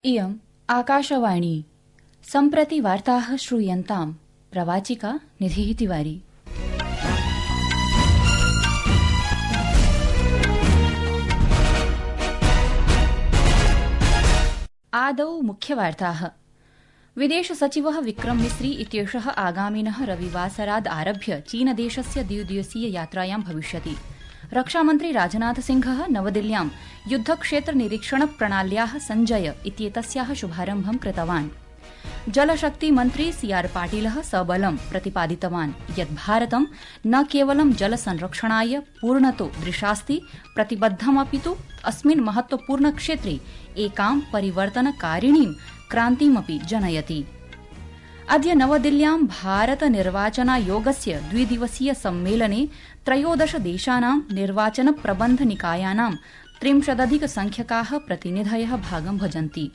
इयम् आकाशवाणी सम्प्रति वार्ताः श्रूयन्ताम् प्रवाचिका निधिः तिवारी। आदौ मुख्यवार्ताः। विदेश सचिवः विक्रम मिस्री इत्येषः आगामिनः रविवासराद् आरभ्य चीनदेशस्य द्विदिवसीय यात्रायां भविष्यति। रक्षामन्त्री राजनाथ सिंहः नवदिल्ल्यां युद्धक्षेत्र निरीक्षण प्रणाल्याः सञ्जय इत्येतस्याः शुभारम्भं कृतवान्। जलशक्तिमन्त्री सीआर पाटिलः सबलं प्रतिपादितवान् यत् भारतं न केवलं जलसंरक्षणाय पूर्णतो दृशास्ति प्रतिबद्धमपितु अस्मिन् महत्वपूर्णक्षेत्रे एकां परिवर्तनकारिणीं क्रान्तिमपि जनयति। अद्य नवदिल्ल्यां भारत निर्वाचनायोगस्य द्विदिवसीय सम्मेलने 13 देशानां निर्वाचन प्रबन्ध निकायानां 30+ प्रतिनिधयः भागं भजन्ति।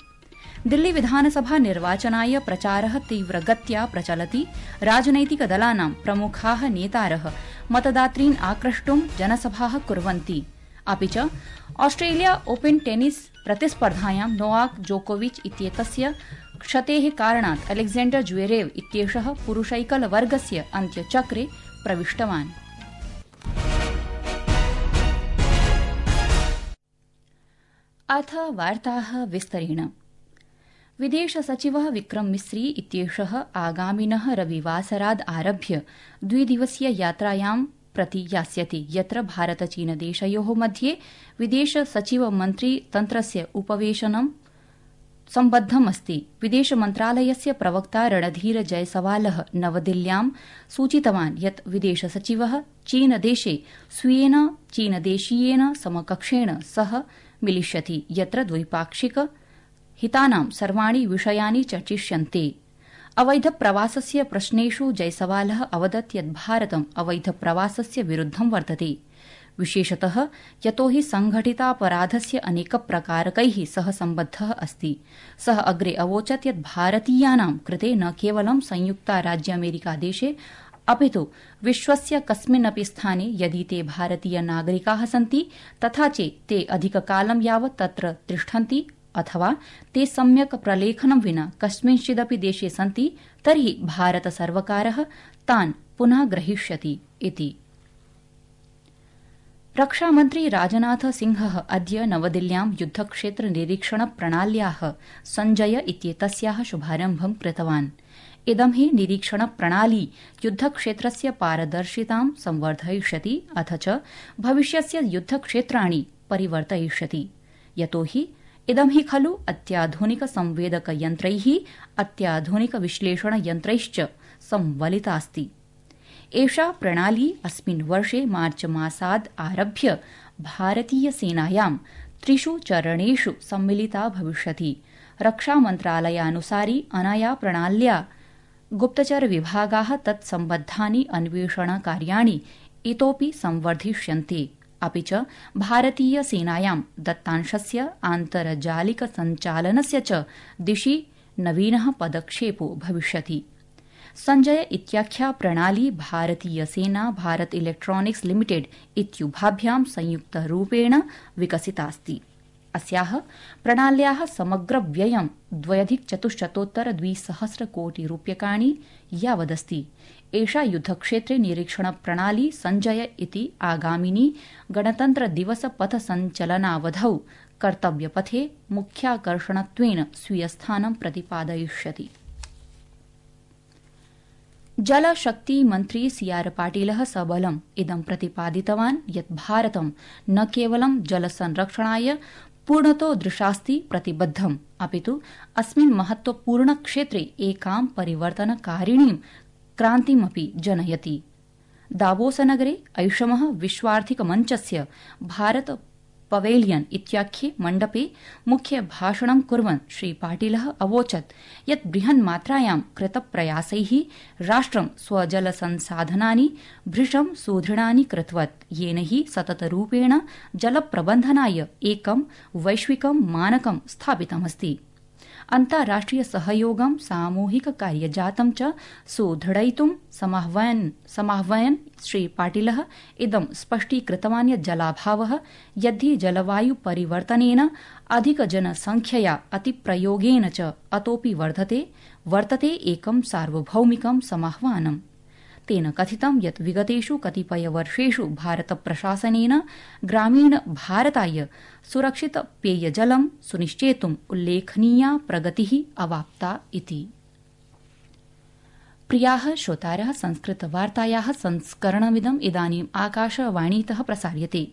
दिल्ली विधानसभा निर्वाचनाय प्रचारः तीव्रगत्या प्रचलति। राजनैतिकदलानां प्रमुखाः नेतारः मतदातॄन् आक्रष्टुं जनसभाः कुर्वन्ति। अपि च ऑस्ट्रेलिया ओपन टेनिस प्रतिस्पर्धायां नोवाक जोकोविच इत्येतस्य क्षतेः कारणात् अलेक्जेंडर ज्वेरेव इत्येषः पुरुषैकलवर्गस्य अन्त्यचक्रे प्रविष्टवान्। अथ वार्ताः विस्तरेण। विदेश सचिवः विक्रम मिस्री इत्येषः आगामिनः रविवासराद् आरभ्य द्विदिवसीय यात्रायां प्रति यास्यति, यत्र भारत चीन देशयोः मध्ये विदेश सचिव मन्त्री तन्त्रस्य उपवेशनं सम्बद्धमस्ति। विदेश मन्त्रालयस्य प्रवक्ता रणधीर जयसवालः नवदिल्ल्यां सूचितवान् यत् विदेश सचिवः चीनदेशे स्वीयेन चीनदेशीयेन समकक्षेण सह मिलिष्यति, यत्र द्वैपाक्षिक हितानां सर्वाणि विषयानि चर्चिष्यन्ते। अवैध प्रवासस्य प्रश्नेषु जयसवालः अवदत् यत् भारतम् अवैध प्रवासस्य विरुद्धं वर्तते, विशेषतः यतोहि संघटितापराधस्य अनेकप्रकारकैः सह सम्बद्धः अस्ति। सः अग्रे अवोचत् यत् भारतीयानां कृते न केवलं संयुक्तराज्यामेरिकादेशे अपितु विश्वस्य कस्मिन्नपि स्थाने यदि ते भारतीय नागरिकाः सन्ति तथा च ते अधिककालं यावत् तत्र तिष्ठन्ति अथवा ते सम्यक् प्रलेखनं विना कस्मिंश्चिदपि देशे सन्ति तर्हि भारतसर्वकारः तान् पुनः ग्रहीष्यति इति। रक्षामन्त्री राजनाथ सिंहः अद्य नवदिल्ल्यां युद्धक्षेत्र निरीक्षण प्रणाल्याः सञ्जय इत्येतस्याः शुभारम्भं कृतवान्। इदं हि निरीक्षण प्रणाली युद्धक्षेत्रस्य पारदर्शितां संवर्धयिष्यति अथ च भविष्यस्य युद्धक्षेत्राणि परिवर्तयिष्यति, यतोहि इदं हि खलु अत्याधुनिक संवेदकयन्त्रैः अत्याधुनिक विश्लेषणयन्त्रैश्च संवलितास्ति। एषा प्रणाली अस्मिन् वर्षे मार्च मासाद् आरभ्य भारतीयसेनायां 3 चरणेषु सम्मिलिता भविष्यति। रक्षामन्त्रालयानुसारि अनया प्रणाल्या गुप्तचरविभागाः तत्सम्बद्धानि अन्वेषणकार्याणि इतोपि संवर्धिष्यन्ते। अपि च भारतीयसेनायां दत्तांशस्य आन्तर्जालिक सञ्चालनस्य च दिशि नवीनः पदक्षेपो भविष्यति। सञ्जय इत्याख्या प्रणाली भारतीयसेना भारत इलेक्ट्रॉनिक्स लिमिटेड इत्युभाभ्यां संयुक्तरूपेण विकसितास्ति। अस्याः प्रणाल्याः समग्रव्ययं 2,400 कोटि रूप्यकाणि यावदस्ति। एषा युद्धक्षेत्रे निरीक्षण प्रणाली सञ्जय इति आगामिनी गणतन्त्रदिवस पथसञ्चलनावधौ कर्तव्यपथे मुख्याकर्षणत्वेन स्वीयस्थानं प्रतिपादयिष्यति। जलशक्तिमन्त्री सीआर पाटिलः सबलम् इदं प्रतिपादितवान् यत् भारतं न केवलं जलसंरक्षणाय पूर्णतो दृशास्ति प्रतिबद्धम् अपितु अस्मिन् महत्वपूर्णक्षेत्रे एकां परिवर्तनकारिणीं क्रान्तिमपि जनयति। दावोसनगरे ऐषमः विश्वार्थिकमञ्चस्य भारत पवेलियन इत्याख्ये मण्डपे मुख्यभाषणं कुर्वन् श्रीपाटिलः अवोचत् यत् बृहन्मात्रायां कृतप्रयासैः राष्ट्रं स्वजलसंसाधनानि भृशं सुदृढानि कृतवत्, येन हि सततरूपेण जलप्रबन्धनाय एकं वैश्विकं मानकं स्थापितमस्ति। अन्ताराष्ट्रिय सहयोगं सामूहिक कार्यजातं च सुदृढयितुं समाह्वयन् श्री पाटिलः इदं स्पष्टीकृतवान् यत् जलाभावः यद्धि जलवायु परिवर्तनेन अधिकजनसंख्यया अतिप्रयोगेन च अतोऽपि वर्तते एकं सार्वभौमिकं समाह्वानम्। तेन कथितं यत् विगतेषु कतिपयवर्षेषु भारतप्रशासनेन ग्रामीणभारताय सुरक्षित पेयजलं सुनिश्चेतुम् उल्लेखनीया प्रगतिः अवाप्ता इति। प्रियाः श्रोतारः, संस्कृतवार्तायाः संस्करणमिदम् इदानीम् आकाशवाणीतः प्रसार्यते।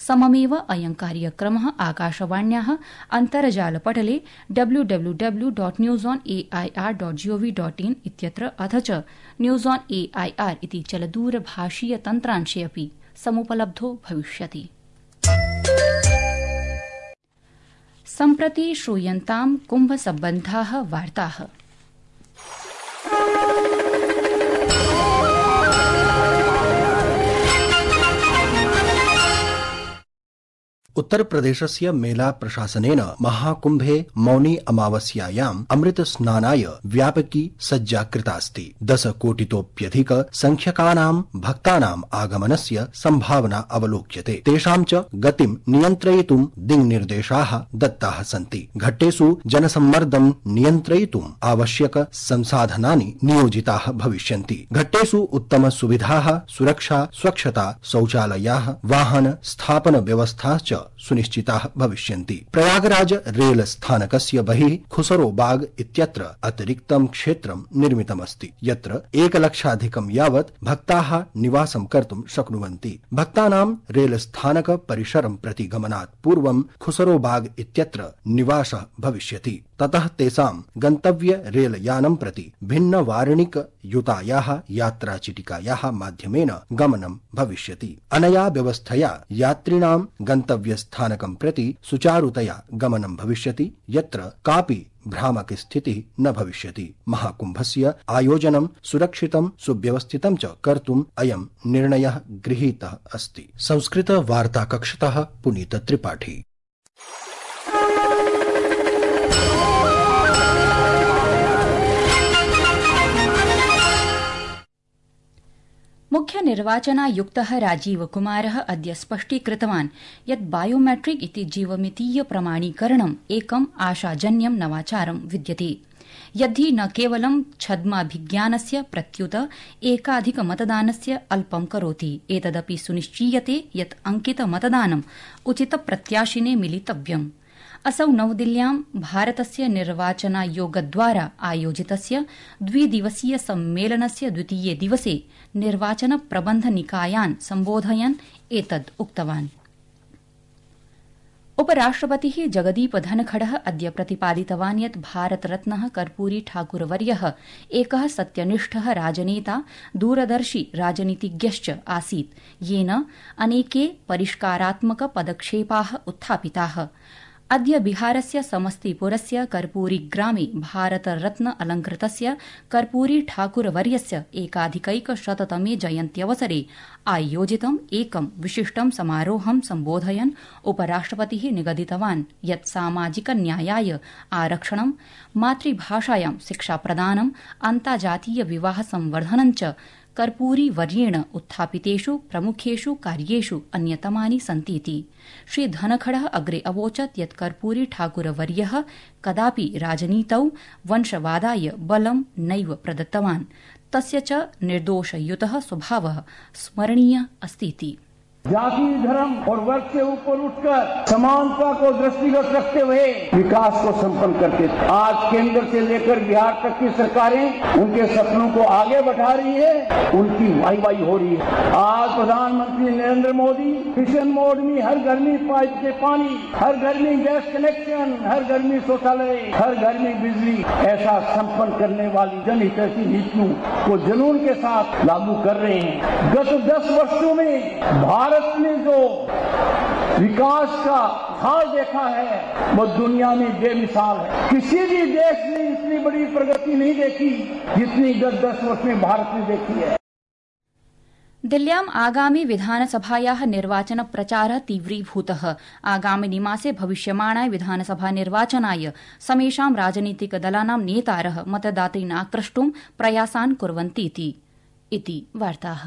सममेव अयं कार्यक्रमः आकाशवाण्याः अन्तर्जालपटले www.newsonair.gov.in इत्यत्र अथ च न्यूज़ ऑन AIR इति चलदूरभाषीय तन्त्रांशे अपि समुपलब्धो भविष्यति। सम्प्रति श्रूयन्तां कुम्भसम्बद्धाः वार्ताः। उत्तर प्रदेशस्य मेला प्रशासनेन महाकुम्भे मौनी अमावस्यायाम् अमृत स्नानाय व्यापकी सज्जा कृतास्ति। 10 कोटितोप्यधिक संख्यकानां भक्तानाम् आगमनस्य संभावना अवलोक्यते। तेषां च गतिं नियन्त्रयितुं दिङ्निर्देशाः दत्ताः सन्ति। घट्टेषु जनसम्मर्दं नियन्त्रयितुम् आवश्यक संसाधनानि नियोजिताः भविष्यन्ति। घट्टेषु उत्तम सुविधाः, सुरक्षा, स्वच्छता, शौचालयाः, वाहन स्थापन व्यवस्था च सुनिश्चिताः भविष्यन्ति। प्रयागराज रेल स्थानकस्य बहिः खुसरोबाग इत्यत्र अतिरिक्तं क्षेत्रं निर्मितमस्ति, यत्र 1 लक्षाधिकं यावत् भक्ताः निवासं कर्तुं शक्नुवन्ति। भक्तानां रेल स्थानक परिसरं प्रति गमनात् पूर्वं खुसरोबाग इत्यत्र निवासः भविष्यति। ततः तेषां गन्तव्य रेलयानं प्रति भिन्न वारणिक युतायाः यात्राचिटिकायाः माध्यमेन गमनं भविष्यति। अनया व्यवस्थया यात्रिणां गन्तव्यस्थानकं प्रति सुचारुतया गमनं भविष्यति, यत्र कापि भ्रामक स्थितिः न भविष्यति। महाकुम्भस्य आयोजनं सुरक्षितं सुव्यवस्थितं च कर्तुम् अयं निर्णयः गृहीतः अस्ति। संस्कृत वार्ताकक्षतः पुनीत त्रिपाठी। मुख्य निर्वाचनायुक्तः राजीव कुमारः अद्य स्पष्टीकृतवान् यत् बायोमेट्रिक इति जीवमितीय प्रमाणीकरणम् एकम् आशाजन्यं नवाचारं विद्यते, यद्धि न केवलं छद्माभिज्ञानस्य प्रत्युत एकाधिकमतदानस्य अल्पं करोति, एतदपि सुनिश्चीयते यत् अंकितमतदानम् उचितप्रत्याशिने मिलितव्यम्। असौ नवदिल्ल्यां भारतस्य निर्वाचनायोगद्वारा आयोजितस्य 2 दिवसीय सम्मेलनस्य द्वितीये दिवसे निर्वाचन प्रबन्ध निकायान् सम्बोधयन् एतद् उक्तवान्। उपराष्ट्रपतिः जगदीप धनखडः अद्य प्रतिपादितवान् यत् भारतरत्नः कर्पूरी ठाकुरवर्यः एकः सत्यनिष्ठः राजनेता, दूरदर्शी राजनीतिज्ञश्च आसीत्, येन अनेके परिष्कारात्मक पदक्षेपाः उत्थापिताः। अद्य बिहारस्य समस्तीपुरस्य कर्पूरी ग्रामे भारतरत्न अलंकृतस्य कर्पूरी ठाकुरवर्यस्य एकाधिकैकशततमे जयन्त्यवसरे आयोजितम् एकं विशिष्टं समारोहं सम्बोधयन् उपराष्ट्रपतिः निगदितवान् यत् सामाजिक न्यायाय आरक्षणं, मातृभाषायां शिक्षाप्रदानम्, अन्ताजातीय विवाह संवर्धनं च कर्पूरी वर्येण उत्थापितेषु प्रमुखेषु कार्येषु अन्यतमानि सन्तीति। श्री धनखडः अग्रे अवोचत् यत् कर्पूरी ठाकुरवर्यः कदापि राजनीतौ वंशवादाय बलं नैव प्रदत्तवान्, तस्य च निर्दोषयुतः स्वभावः स्मरणीय अस्तीति। जाति, धर्म और वर्ग से ऊपर उठकर समानता को दृष्टिगत रखते हुए विकास को संपन्न करते थे। आज केंद्र से लेकर बिहार तक की सरकारें उनके सपनों को आगे बढ़ा रही है, उनकी वाहवाही हो रही है। आज प्रधानमंत्री नरेंद्र मोदी मिशन मोड में हर घर में पाइप से पानी, हर घर में गैस कनेक्शन, हर घर में शौचालय, हर घर में बिजली ऐसा संपन्न करने वाली जनहितैषी नीतियों को जुनून के साथ लागू कर रहे हैं। गत 10 वर्षों में भारत ने जो विकास का हाल देखा है वो दुनिया में बेमिसाल है। किसी भी देश ने इतनी बड़ी प्रगति नहीं देखी जितनी गत 10 वर्ष में भारत ने देखी है। दिल्ल्याम् आगामि विधानसभायाः निर्वाचन प्रचारः तीव्रीभूतः। आगामिनि मासे भविष्यमाणाय विधानसभा निर्वाचनाय समेषां राजनीतिकदलानां नेतारः मतदातॄन् आक्रष्टुं प्रयासान् कुर्वन्तीति वार्ताः।